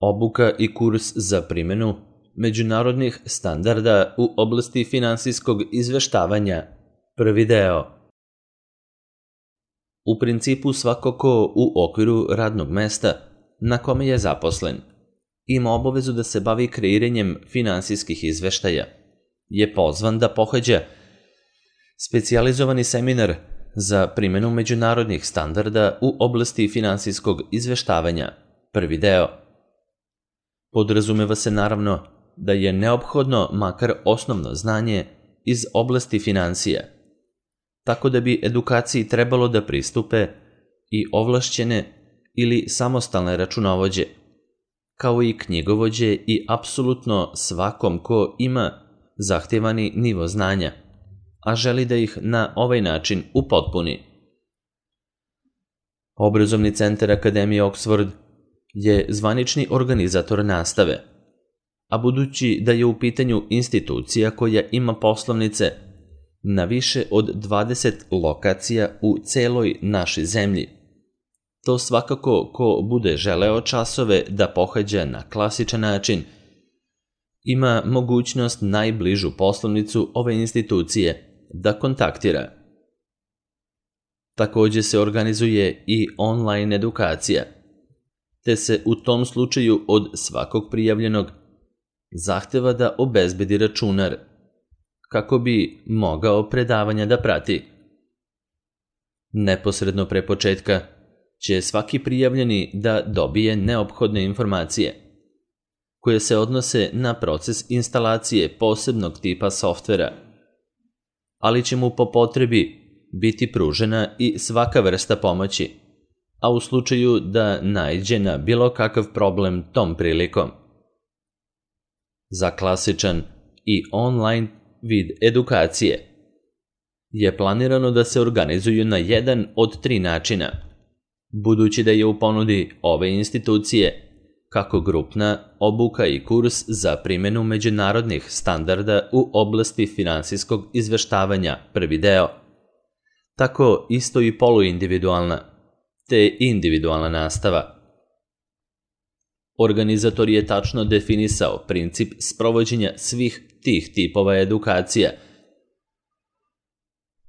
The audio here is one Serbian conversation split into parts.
Obuka i kurs za primjenu međunarodnih standarda u oblasti finansijskog izveštavanja. Prvi deo. U principu svako ko u okviru radnog mesta na kome je zaposlen ima obavezu da se bavi kreiranjem finansijskih izveštaja, je pozvan da pohađa specijalizovani seminar za primjenu međunarodnih standarda u oblasti finansijskog izveštavanja. Prvi deo. Podrazumeva se naravno da je neophodno makar osnovno znanje iz oblasti finansija, tako da bi edukaciji trebalo da pristupe i ovlašćene ili samostalne računovođe, kao i knjigovođe i apsolutno svakom ko ima zahtevani nivo znanja, a želi da ih na ovaj način upotpuni. Obrazovni centar Akademije Oxford je zvanični organizator nastave, a budući da je u pitanju institucija koja ima poslovnice na više od 20 lokacija u celoj našoj zemlji, to svakako ko bude želeo časove da pohađa na klasičan način ima mogućnost najbližu poslovnicu ove institucije da kontaktira. Takođe se organizuje i online edukacija, te se u tom slučaju od svakog prijavljenog zahteva da obezbedi računar, kako bi mogao predavanja da prati. Neposredno pre početka će svaki prijavljeni da dobije neophodne informacije, koje se odnose na proces instalacije posebnog tipa softvera, ali će mu po potrebi biti pružena i svaka vrsta pomoći, a u slučaju da naiđe na bilo kakav problem tom prilikom. Za klasičan i online vid edukacije je planirano da se organizuju na jedan od 3 načina, budući da je u ponudi ove institucije kako grupna obuka i kurs za primjenu međunarodnih standarda u oblasti finansijskog izveštavanja, prvi deo, tako isto i poluindividualna te individualna nastava. Organizator je tačno definisao princip sprovođenja svih tih tipova edukacija,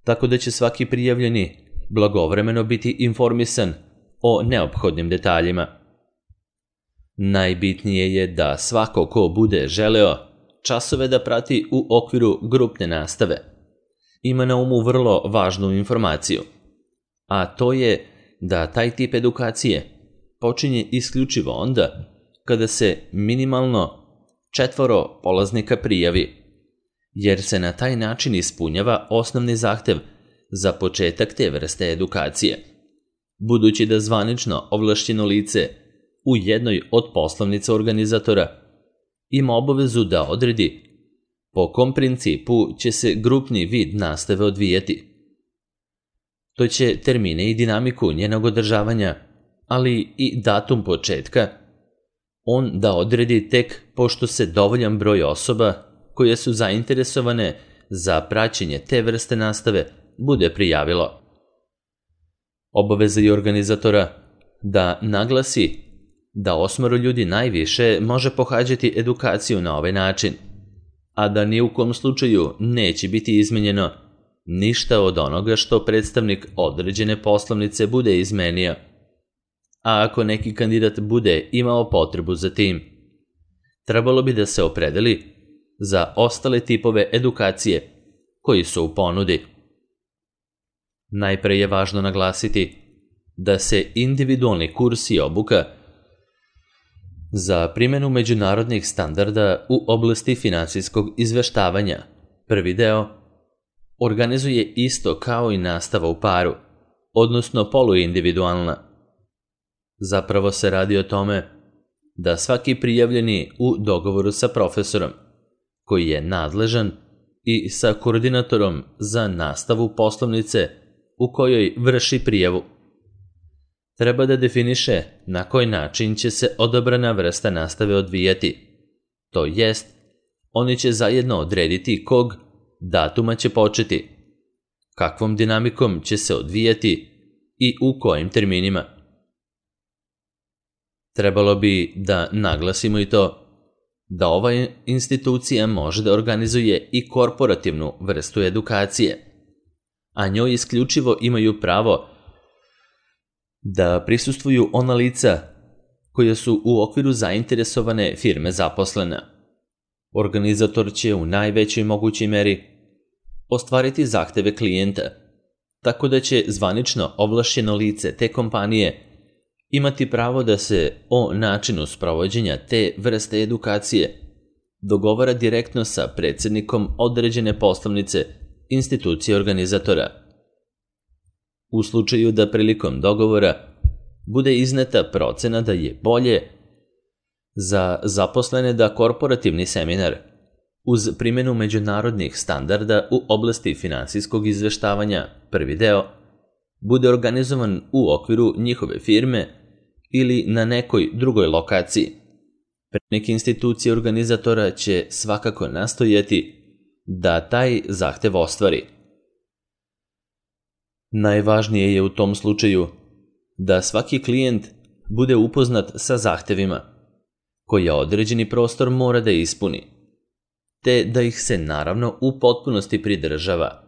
tako da će svaki prijavljeni blagovremeno biti informisan o neophodnim detaljima. Najbitnije je da svako ko bude želeo časove da prati u okviru grupne nastave ima na umu vrlo važnu informaciju, a to je da taj tip edukacije počinje isključivo onda kada se minimalno 4 polaznika prijavi, jer se na taj način ispunjava osnovni zahtev za početak te vrste edukacije, budući da zvanično ovlašćeno lice u jednoj od poslovnica organizatora ima obavezu da odredi po kom principu će se grupni vid nastave odvijati. To će termine i dinamiku njenog održavanja, ali i datum početka, on da odredi tek pošto se dovoljan broj osoba koje su zainteresovane za praćenje te vrste nastave bude prijavilo. Obaveza je organizatora da naglasi da 8 ljudi najviše može pohađati edukaciju na ovaj način, a da ni u kom slučaju neće biti izmenjeno ništa od onoga što predstavnik određene poslovnice bude izmenio. A ako neki kandidat bude imao potrebu za tim, trebalo bi da se opredeli za ostale tipove edukacije koji su u ponudi. Najpre je važno naglasiti da se individualni kurs i obuka za primjenu međunarodnih standarda u oblasti finansijskog izveštavanja, prvi deo, organizuje isto kao i nastava u paru, odnosno poluindividualna. Zapravo se radi o tome da svaki prijavljeni u dogovoru sa profesorom, koji je nadležan, i sa koordinatorom za nastavu poslovnice u kojoj vrši prijavu, treba da definiše na koji način će se odabrana vrsta nastave odvijati. To jest, oni će zajedno odrediti kog datuma će početi, kakvom dinamikom će se odvijati i u kojim terminima. Trebalo bi da naglasimo i to da ova institucija može da organizuje i korporativnu vrstu edukacije, a njoj isključivo imaju pravo da prisustvuju ona lica koja su u okviru zainteresovane firme zaposlena. Organizator će u najvećoj mogućoj meri ostvariti zahteve klijenta, tako da će zvanično ovlašćeno lice te kompanije imati pravo da se o načinu sprovođenja te vrste edukacije dogovara direktno sa predsjednikom određene poslovnice institucije organizatora. U slučaju da prilikom dogovora bude izneta procena da je bolje za zaposlene da korporativni seminar uz primjenu međunarodnih standarda u oblasti finansijskog izveštavanja, prvi deo, bude organizovan u okviru njihove firme ili na nekoj drugoj lokaciji. Predstavnik institucije organizatora će svakako nastojati da taj zahtev ostvari. Najvažnije je u tom slučaju da svaki klijent bude upoznat sa zahtevima koje određeni prostor mora da ispuni, te da ih se naravno u potpunosti pridržava.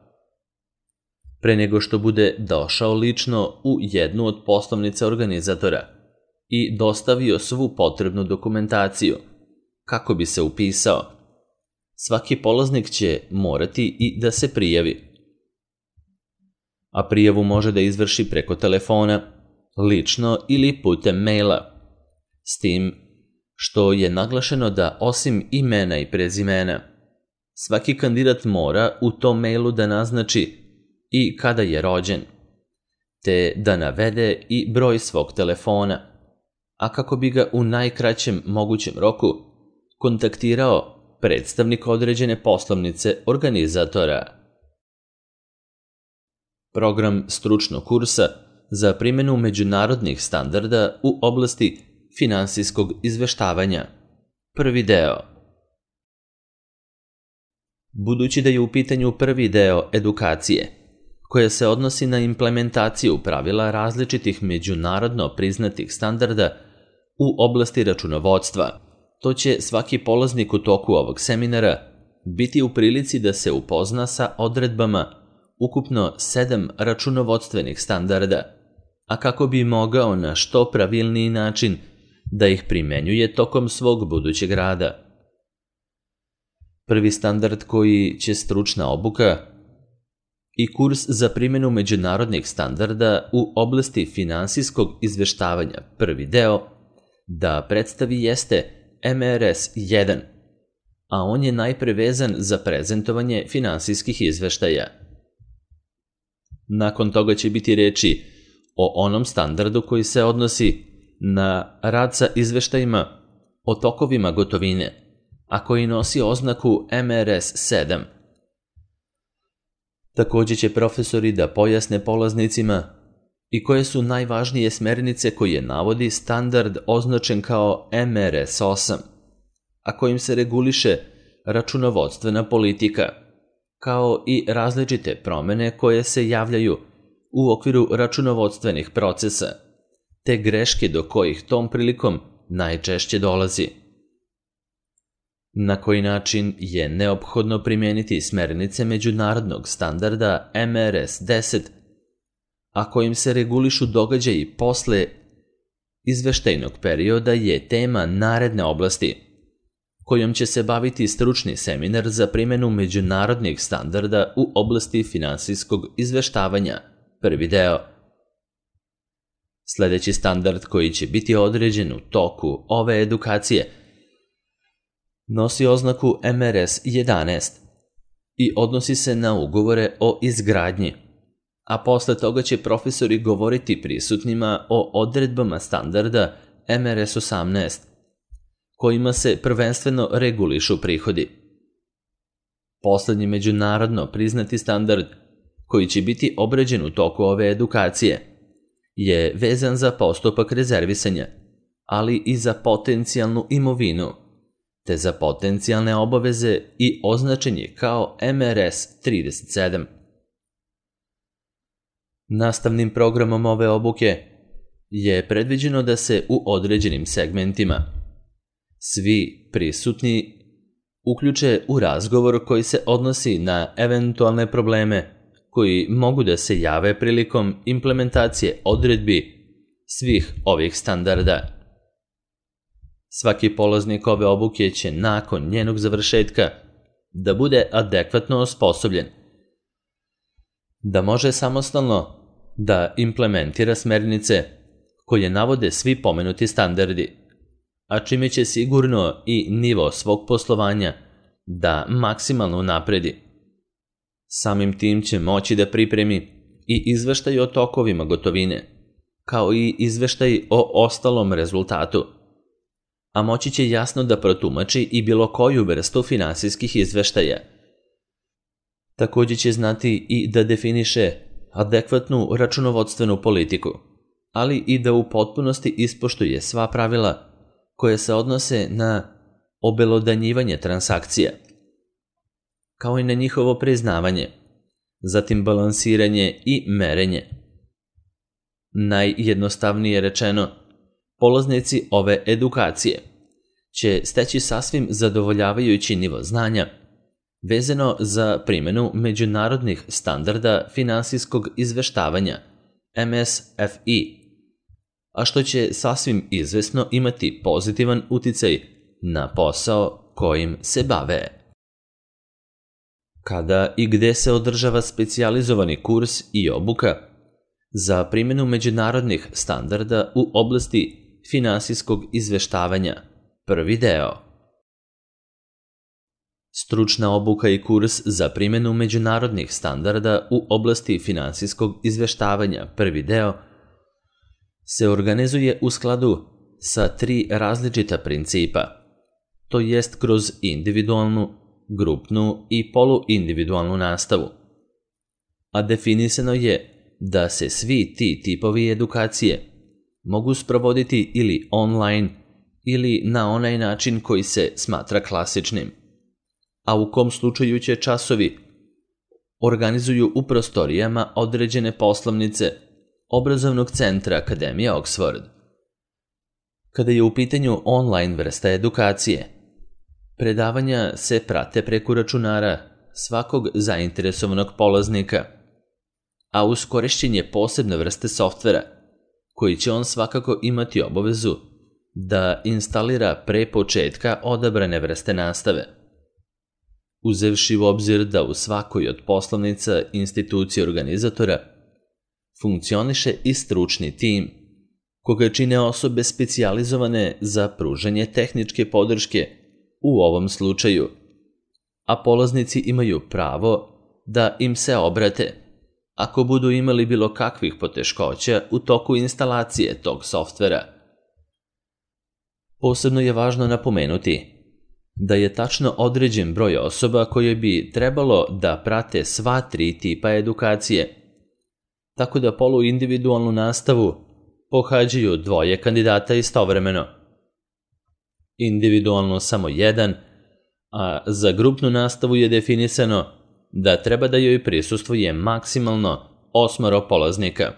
Pre nego što bude došao lično u jednu od poslovnica organizatora i dostavio svu potrebnu dokumentaciju kako bi se upisao, svaki polaznik će morati i da se prijavi. A prijavu može da izvrši preko telefona, lično ili putem maila, s tim što je naglašeno da osim imena i prezimena, svaki kandidat mora u tom mailu da naznači i kada je rođen, te da navede i broj svog telefona, a kako bi ga u najkraćem mogućem roku kontaktirao predstavnik određene poslovnice organizatora. Program stručnog kursa za primjenu međunarodnih standarda u oblasti finansijskog izveštavanja. Prvi deo. Budući da je u pitanju prvi deo edukacije, koja se odnosi na implementaciju pravila različitih međunarodno priznatih standarda u oblasti računovodstva, to će svaki polaznik u toku ovog seminara biti u prilici da se upozna sa odredbama ukupno 7 računovodstvenih standarda, a kako bi mogao na što pravilniji način da ih primenjuje tokom svog budućeg rada. Prvi standard koji će stručna obuka i kurs za primjenu međunarodnih standarda u oblasti finansijskog izveštavanja, prvi deo, da predstavi jeste MRS 1, a on je najpre vezan za prezentovanje finansijskih izveštaja. Nakon toga će biti reči o onom standardu koji se odnosi na rad sa izveštajima o tokovima gotovine, a koji nosi oznaku MRS 7. Također će profesori da pojasne polaznicima i koje su najvažnije smernice koje navodi standard označen kao MRS 8, a kojim se reguliše računovodstvena politika, kao i različite promjene koje se javljaju u okviru računovodstvenih procesa, te greške do kojih tom prilikom najčešće dolazi. Na koji način je neophodno primijeniti smernice međunarodnog standarda MRS 10, a kojim se regulišu događaji posle izveštajnog perioda, je tema naredne oblasti, kojom će se baviti stručni seminar za primjenu međunarodnih standarda u oblasti finansijskog izveštavanja, prvi deo. Sljedeći standard koji će biti određen u toku ove edukacije nosi oznaku MRS 11 i odnosi se na ugovore o izgradnji, a posle toga će profesori govoriti prisutnima o odredbama standarda MRS 18, kojima se prvenstveno regulišu prihodi. Poslednji međunarodno priznati standard koji će biti obrađen u toku ove edukacije je vezan za postupak rezervisanja, ali i za potencijalnu imovinu, te za potencijalne obaveze i označen je kao MRS 37. Nastavnim programom ove obuke je predviđeno da se u određenim segmentima svi prisutni uključe u razgovor koji se odnosi na eventualne probleme koji mogu da se jave prilikom implementacije odredbi svih ovih standarda. Svaki polaznik ove obuke će nakon njenog završetka da bude adekvatno osposobljen, da može samostalno da implementira smernice koje navode svi pomenuti standardi, a čime će sigurno i nivo svog poslovanja da maksimalno unapredi. Samim tim će moći da pripremi i izveštaj o tokovima gotovine, kao i izveštaj o ostalom rezultatu, a moći će jasno da protumači i bilo koju vrstu finansijskih izveštaja. Također će znati i da definiše adekvatnu računovodstvenu politiku, ali i da u potpunosti ispoštuje sva pravila koje se odnose na obelodanjivanje transakcija, kao i na njihovo priznavanje, zatim balansiranje i merenje. Najjednostavnije rečeno, polaznici ove edukacije će steći sasvim zadovoljavajući nivo znanja vezano za primjenu međunarodnih standarda finansijskog izveštavanja MSFI, a što će sasvim izvesno imati pozitivan uticaj na posao kojim se bave. Kada i gde se održava specijalizovani kurs i obuka za primjenu međunarodnih standarda u oblasti finansijskog izveštavanja, prvi deo. Stručna obuka i kurs za primjenu međunarodnih standarda u oblasti finansijskog izveštavanja, prvi deo, se organizuje u skladu sa 3 različita principa, to jest kroz individualnu, grupnu i poluindividualnu nastavu. A definisano je da se svi ti tipovi edukacije mogu sprovoditi ili online ili na onaj način koji se smatra klasičnim, a u kom slučaju će časovi organizuju u prostorijama određene poslovnice obrazovnog centra Akademije Oxford. Kada je u pitanju online vrsta edukacije, predavanja se prate preko računara svakog zainteresovanog polaznika, a uz korišćenje posebne vrste softvera, koji će on svakako imati obavezu da instalira pre početka odabrane vrste nastave. Uzevši u obzir da u svakoj od poslovnica institucije organizatora funkcioniše i stručni tim, koga čine osobe specijalizovane za pružanje tehničke podrške u ovom slučaju, a polaznici imaju pravo da im se obrate ako budu imali bilo kakvih poteškoća u toku instalacije tog softvera. Posebno je važno napomenuti da je tačno određen broj osoba koje bi trebalo da prate sva 3 tipa edukacije, tako da poluindividualnu nastavu pohađaju 2 kandidata istovremeno. Individualno samo 1, a za grupnu nastavu je definisano da treba da joj prisustvuje maksimalno 8 polaznika,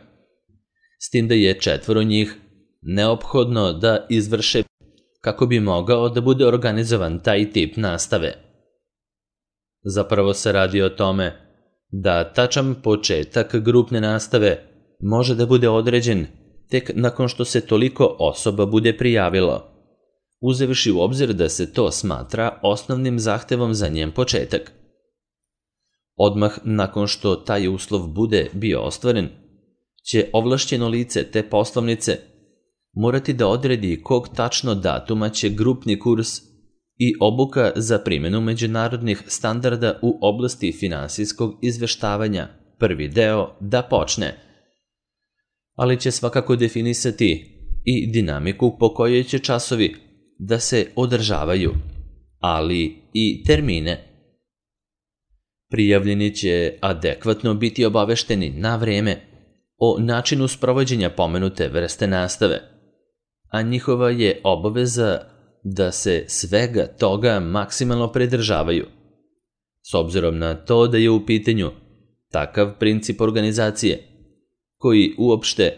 s tim da je 4 njih neophodno da izvrše kako bi mogao da bude organizovan taj tip nastave. Zapravo se radi o tome da tačan početak grupne nastave može da bude određen tek nakon što se toliko osoba bude prijavilo, uzevši u obzir da se to smatra osnovnim zahtevom za njen početak. Odmah nakon što taj uslov bude bio ostvaren, će ovlašćeno lice te poslovnice morati da odredi kog tačno datuma će grupni kurs i obuka za primjenu međunarodnih standarda u oblasti finansijskog izveštavanja, prvi deo, da počne. Ali će svakako definisati i dinamiku po kojoj će časovi da se održavaju, ali i termine. Prijavljeni će adekvatno biti obavešteni na vreme o načinu sprovođenja pomenute vrste nastave, a njihova je obaveza da se svega toga maksimalno pridržavaju. S obzirom na to da je u pitanju takav princip organizacije, koji uopšte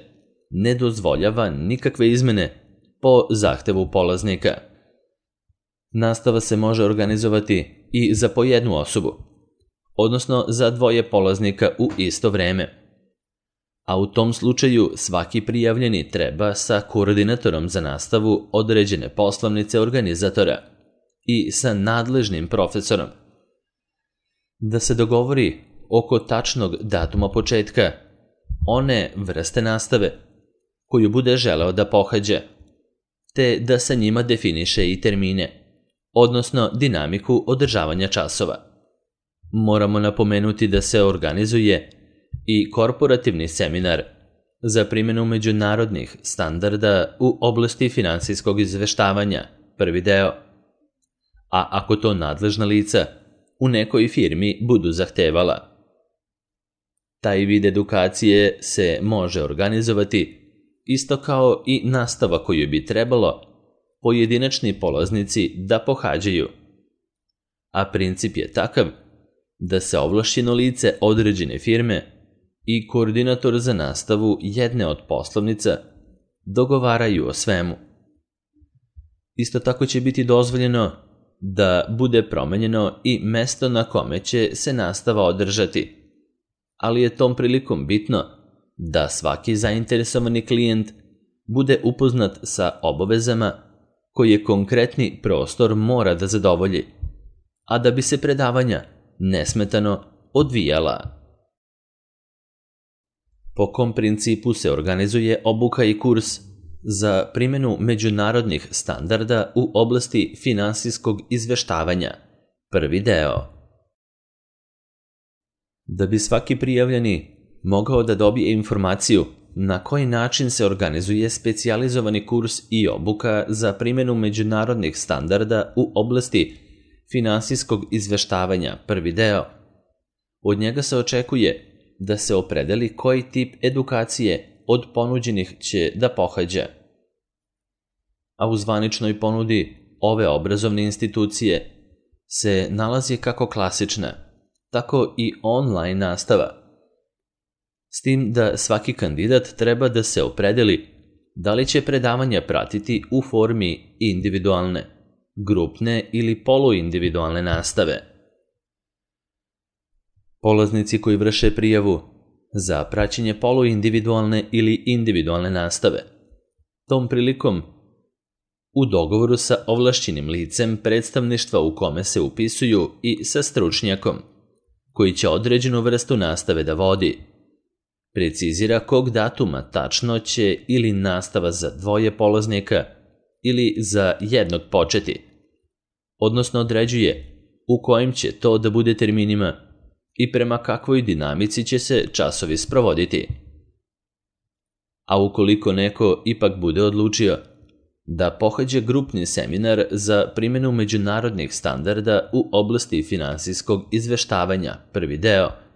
ne dozvoljava nikakve izmene po zahtevu polaznika. Nastava se može organizovati i za po jednu osobu, odnosno za dvoje polaznika u isto vreme. A u tom slučaju svaki prijavljeni treba sa koordinatorom za nastavu određene poslovnice organizatora i sa nadležnim profesorom da se dogovori oko tačnog datuma početka one vrste nastave koju bude želeo da pohađa, te da sa njima definiše i termine, odnosno dinamiku održavanja časova. Moramo napomenuti da se organizuje i korporativni seminar za primjenu međunarodnih standarda u oblasti finansijskog izveštavanja, prvi deo. A ako to nadležna lica u nekoj firmi budu zahtevala. Taj vid edukacije se može organizovati isto kao i nastava koju bi trebalo pojedinačni polaznici da pohađaju. A princip je takav da se ovlašćeno lice određene firme i koordinator za nastavu jedne od poslovnica dogovaraju o svemu. Isto tako će biti dozvoljeno da bude promenjeno i mesto na kome će se nastava održati, ali je tom prilikom bitno da svaki zainteresovani klijent bude upoznat sa obavezama koje konkretni prostor mora da zadovolji, a da bi se predavanja nesmetano odvijala. Po kom principu se organizuje obuka i kurs za primjenu međunarodnih standarda u oblasti finansijskog izveštavanja, prvi deo. Da bi svaki prijavljeni mogao da dobije informaciju na koji način se organizuje specijalizovani kurs i obuka za primjenu međunarodnih standarda u oblasti finansijskog izveštavanja, prvi deo, od njega se očekuje da se opredeli koji tip edukacije od ponuđenih će da pohađa. A u zvaničnoj ponudi ove obrazovne institucije se nalazi kako klasična, tako i online nastava. S tim da svaki kandidat treba da se opredeli da li će predavanja pratiti u formi individualne, grupne ili poluindividualne nastave. Polaznici koji vrše prijavu za praćenje poluindividualne ili individualne nastave, tom prilikom u dogovoru sa ovlašćenim licem predstavništva u kome se upisuju i sa stručnjakom, koji će određenu vrstu nastave da vodi, precizira kog datuma tačno će ili nastava za dvoje polaznika ili za jednog početi, odnosno određuje u kojim će to da bude terminima i prema kakvoj dinamici će se časovi sprovoditi. A ukoliko neko ipak bude odlučio da pohađa grupni seminar za primjenu međunarodnih standarda u oblasti finansijskog izveštavanja, prvi deo,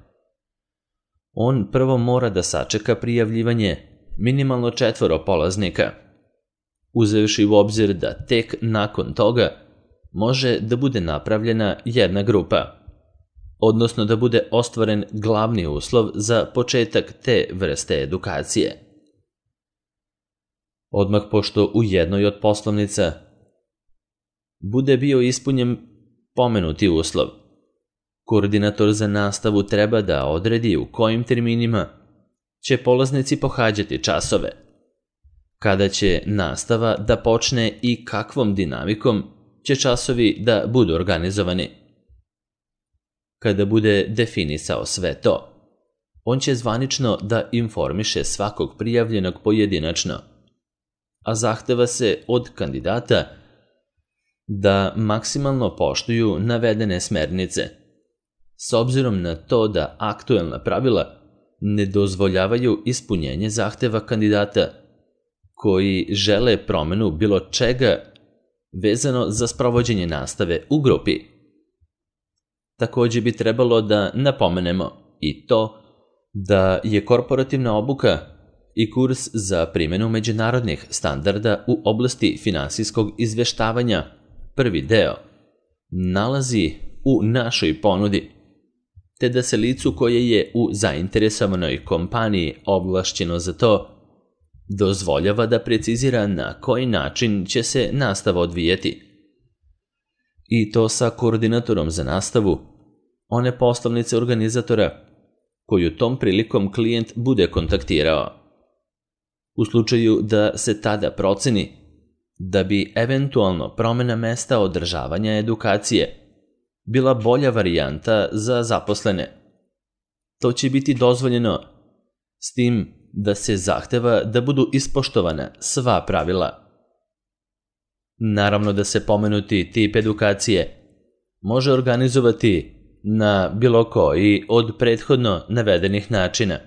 on prvo mora da sačeka prijavljivanje minimalno 4 polaznika, uzevši u obzir da tek nakon toga može da bude napravljena jedna grupa, odnosno da bude ostvaren glavni uslov za početak te vrste edukacije. Odmah pošto u jednoj od poslovnica bude bio ispunjen pomenuti uslov, koordinator za nastavu treba da odredi u kojim terminima će polaznici pohađati časove, kada će nastava da počne i kakvom dinamikom će časovi da budu organizovani. Kada bude definisao sve to, on će zvanično da informiše svakog prijavljenog pojedinačno, a zahteva se od kandidata da maksimalno poštuju navedene smernice, s obzirom na to da aktuelna pravila ne dozvoljavaju ispunjenje zahteva kandidata koji žele promenu bilo čega vezano za sprovođenje nastave u grupi. Također bi trebalo da napomenemo i to da je korporativna obuka i kurs za primjenu međunarodnih standarda u oblasti finansijskog izveštavanja, prvi deo, nalazi u našoj ponudi, te da se licu koje je u zainteresovanoj kompaniji ovlašćeno za to dozvoljava da precizira na koji način će se nastava odvijeti. I to sa koordinatorom za nastavu, one poslovnice organizatora koju tom prilikom klijent bude kontaktirao. U slučaju da se tada proceni da bi eventualno promjena mesta održavanja edukacije bila bolja varijanta za zaposlene, to će biti dozvoljeno, s tim da se zahteva da budu ispoštovana sva pravila. Naravno da se pomenuti tip edukacije može organizovati na bilo koji od prethodno navedenih načina,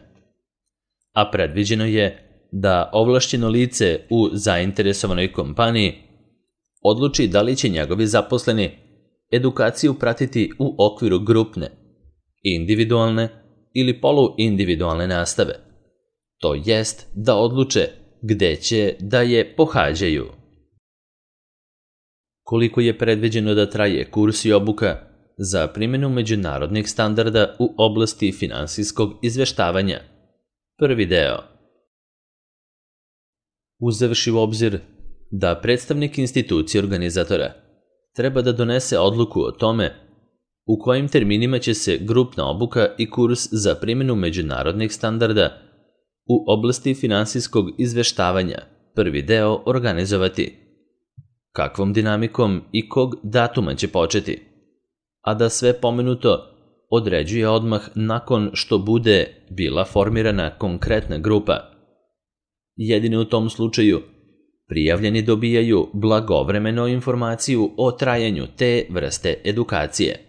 a predviđeno je da ovlašćeno lice u zainteresovanoj kompaniji odluči da li će njegovi zaposleni edukaciju pratiti u okviru grupne, individualne ili poluindividualne nastave, to jest da odluče gde će da je pohađaju. Koliko je predviđeno da traje kurs i obuka za primjenu međunarodnih standarda u oblasti finansijskog izveštavanja? Prvi deo. Uzevši u obzir da predstavnik institucije organizatora treba da donese odluku o tome u kojim terminima će se grupna obuka i kurs za primjenu međunarodnih standarda u oblasti finansijskog izveštavanja, prvi deo, organizovati, kakvom dinamikom i kog datuma će početi, a da sve pomenuto određuje odmah nakon što bude bila formirana konkretna grupa. Jedino u tom slučaju prijavljeni dobijaju blagovremeno informaciju o trajanju te vrste edukacije.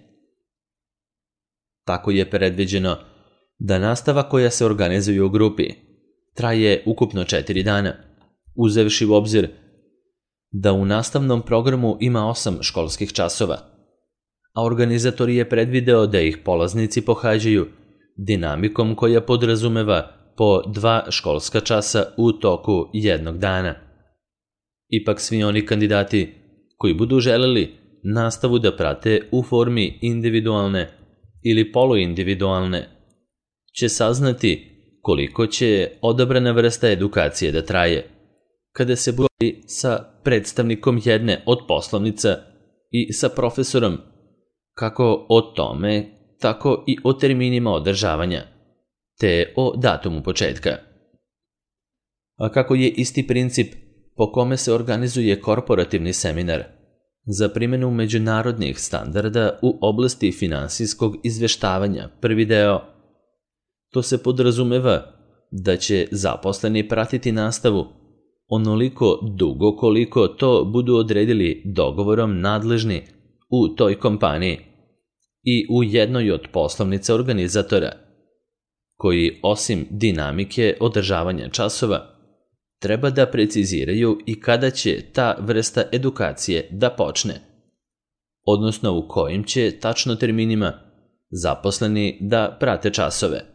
Tako je predviđeno da nastava koja se organizuje u grupi traje ukupno 4 dana, uzevši u obzir da u nastavnom programu ima 8 školskih časova, a organizator je predvideo da ih polaznici pohađaju dinamikom koja podrazumeva po 2 školska časa u toku jednog dana. Ipak svi oni kandidati koji budu želeli nastavu da prate u formi individualne ili poluindividualne će saznati koliko će odabrana vrsta edukacije da traje, kada se bude sa predstavnikom jedne od poslovnica i sa profesorom, kako o tome, tako i o terminima održavanja, te o datumu početka. A kako je isti princip po kome se organizuje korporativni seminar za primjenu međunarodnih standarda u oblasti finansijskog izveštavanja, prvi deo, to se podrazumeva da će zaposleni pratiti nastavu onoliko dugo koliko to budu odredili dogovorom nadležni u toj kompaniji i u jednoj od poslovnica organizatora, koji osim dinamike održavanja časova treba da preciziraju i kada će ta vrsta edukacije da počne, odnosno u kojim će tačno terminima zaposleni da prate časove.